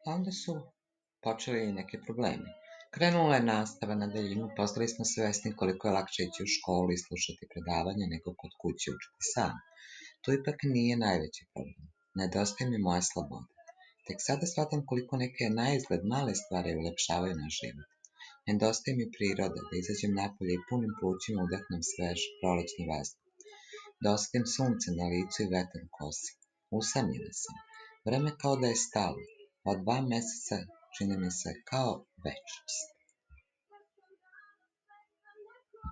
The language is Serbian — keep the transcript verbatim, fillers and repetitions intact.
A onda su počeli i neki problemi. Krenula je nastava na daljinu, postali smo svesni koliko je lakše ići u školu i slušati predavanje nego kod kuće učiti sam. To ipak nije najveći problem. Nedostaje mi moja sloboda. Tek sada shvatam koliko neke na izgled male stvari ulepšavaju naš život. Nedostaje mi priroda, da izađem napolje i punim plućima udahnem svež prolećni vazduh. Da osetim sunce na licu i vetar u kosi. Usamljena sam. Vreme kao da je stalo. Ova dva meseca čine mi se kao večnost.